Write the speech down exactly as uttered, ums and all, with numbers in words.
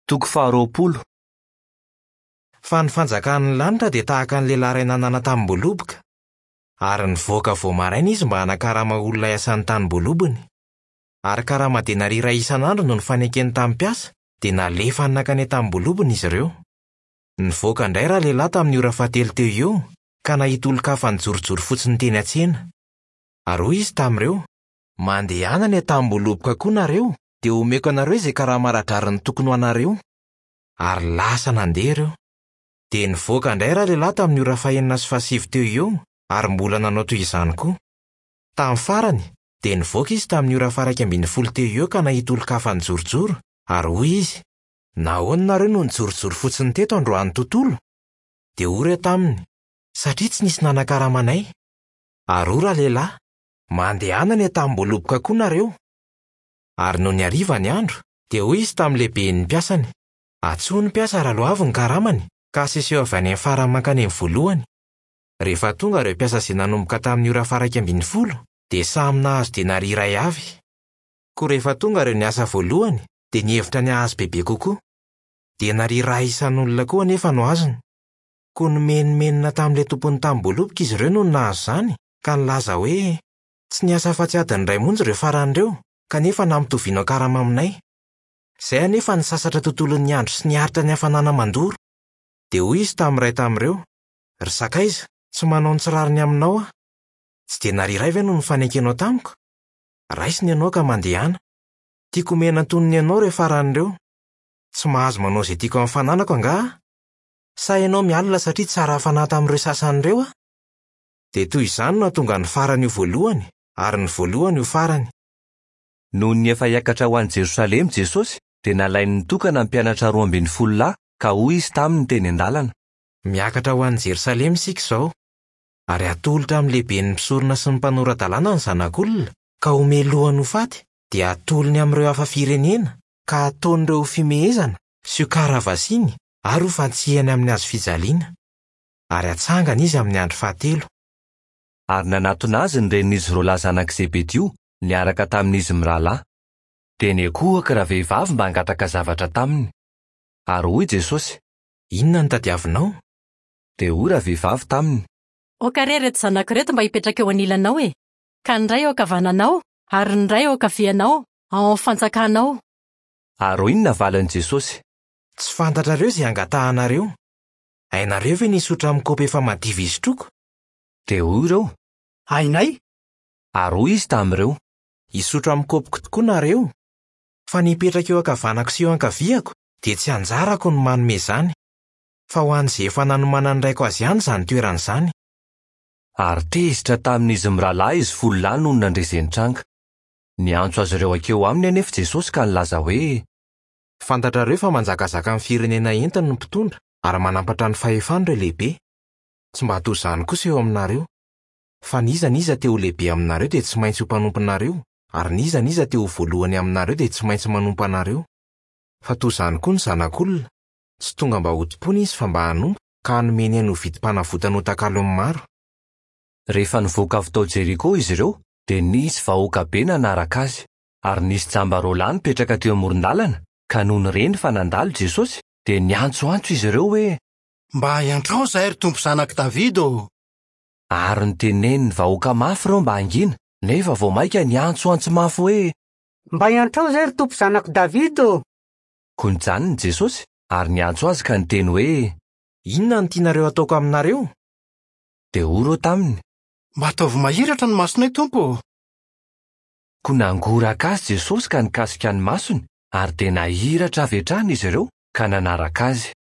Toko faharoapolo. Fa ny fanjakan'ny lanitra dia tahaka ny lehilahy iray nanana tanim-boaloboka. Ary nivoaka vao maraina izy mba hanakarama olona hiasan'ny tanim-boalobony. Ary karama denaria iray isan'andro no nifanekeny tamin'ny mpiasa, dia nalefany nankany an-tanim-boalobony izy ireo. Nivoaka indray ralehilahy tamin'ny ora fahatelo teo eo, ka nahita olon-kafa nijorojoro fotsiny teny an-tsena. Ary hoy izy tamin'ireo: Mandehana any an-tanim-boaloboka koa nareo, dia omeko anareo izay karama ara-drariny tokony ho anareo. Ary lasa nandeha ireo. Dia nivoaka indray ralehilahy tamin'ny ora fahenina sy fahasivy teo eo, ary mbola nanao toy izany koa. Tamin'ny farany, dia nivoaka izy tamin'ny ora faha-iraika ambin'ny folo teo eo ka nahita olon-kafa nijorojoro, ary hoy izy: Nahoana nareo no nijorojoro fotsiny teto androany tontolo? Dia hoy ireo taminy: Satria tsy nisy nanakarama anay. Ary hoy ralehilahy: Mandehana any an-tanim-boaloboka koa nareo. Ary nony hariva ny andro, dia hoy izy tamin'ny lehiben'ny mpiasany: Antsoy ny mpiasa raha loavy ny karamany, ka aseseho avy any amin'ny farany mankany amin'ny voalohany. Rehefa tonga ireo mpiasa izay nanomboka tamin'ny ora faha-iraika ambin'ny folo, dia samy nahazo denaria iray avy. Koa rehefa tonga ireo niasa voalohany, dia nihevitra ny hahazo bebe kokoa. Denaria iray isan'olona koa anefa no azony. Koa nomenomenona tamin'ilay tompon'ny tanim-boaloboka izy ireo no nahazo izany, ka nilaza hoe: Tsy niasa afa-tsy adiny iray monja ireo farany ireo, kanefa nampitoviana karama aminay. Izay anefa nisasatra tontolon'ny andro sy niaritra ny hafanana mandoro. Dia hoy izy tamin'ny iray tamin'ireo: Ry sakaiza, tsy manao ny tsy rariny aminao aho. Tsy denaria iray ve no nifanekenao tamiko? Raisina ianao ka mandehana. Tiako omena antonony ianao ireo farany ireo. Tsy mahazo manao izay tiako amin'ny fananako angaha aho? Sa ianao mialona satria tsara fanahy tamin'ireo sasany ireo aho? Dia toy izany no hahatonga ny farany ho voalohany, ary ny voalohany ho farany. Nony efa hiakatra ho any Jerosalema Jesosy, dia nalainy nitokana ny mpianatra roa ambin'ny folo lahy, ka hoy izy taminy teny an-dalana: Miakatra ho any Jerosalema isika izao, ary atolotra amin'ny lehiben'ny mpisorona sy ny mpanora-dalàna ny zanak'olona, ka homelohany ho faty, dia atolony amin'ireo hafa firenena, ka ataon'ireo ho fimehezana sy ho karavasiany ary ho fantsihany amin'ny hazo fijaliana. Ary hatsangana izy amin'ny andro fahatelo. Ary nanatona azy ny renin'izy roa lahy zanak'i Zebedio niaraka tamin'izy mirahalahy. Dia niankohoka ravehivavy mba hangataka zavatra taminy. Ary hoy Jesosy: Inona no tadiavinao? Dia hoy ravehivavy taminy: Aoka re ireto zanako ireto mba hipetraka eo anilanao e, ka ny iray eo ankavananao ary ny iray eo ankavianao, ao amin'ny fanjakanao. Ary hoy ny navalin'i Jesosy: Tsy fantatrareo izay angatahanareo. Hainareo ve ny hisotra amin'ny kaopy efa madiva isotroako? Dia hoy ireo: Hainay. Ary hoy izy tamin'ireo: Hisotro amin'ny kaopiko tokoa nareo, fa ny hipetraka eo ankavanako sy eo ankaviako dia tsy anjarako ny manome izany, fa ho an'izay efa nanomanan'ny raiko azy ihany izany toerana izany. Ary tezitra tamin'izy mirahalahy izy folo lahy nony nandre izay nitranga. Niantso azy ireo hankeo aminy anefa Jesosy ka nilaza hoe: Fantatrareo fa manjakazaka amin'ny firenena entiny ny mpitondra ary manampatra ny fahefany ireo lehibe. Tsy mba toy izany kosa eo aminareo. Fa n'iza n'iza te ho lehibe aminareo dia tsy maintsy ho mpanomponareo, ary n'iza n'iza te ho voalohany aminareo dia tsy maintsy manompo anareo. Fa toy izany koa ny zanak'olona, tsy tonga mba ho tompoina izy fa mba hanompo, ka hanome ny ainy ho vidim-panavotana ho takalon'ny maro. Rehefa nivoaka avy tao Jeriko izy ireo, dia nisy vahoaka be nanaraka azy, ary nisy jamba roa lahy nipetraka teo amoron-dalana, ka nony reny fa nandalo Jesosy, dia niantsoantso izy ireo hoe: Mba iantrao izahay ry Tompo zanak'i Davida ô! Ary niteneniny vahoaka mafy ireo mba hangina, nefa vao mainka niantsoantso mafy hoe: Mba iantrao izahay ry Tompo zanak'i Davida ô! Koa nijanona Jesosy ary niantso azy ka niteny hoe: Inona no tianareo ataoko aminareo? Dia hoy ireo taminy: Mba ataovy mahiratra ny masonay Tompo ô! Koa nangoraka azy Jesosy ka nikasika ny masony, ary dia nahiratra avy hatrany izy ireo ka nanaraka azy.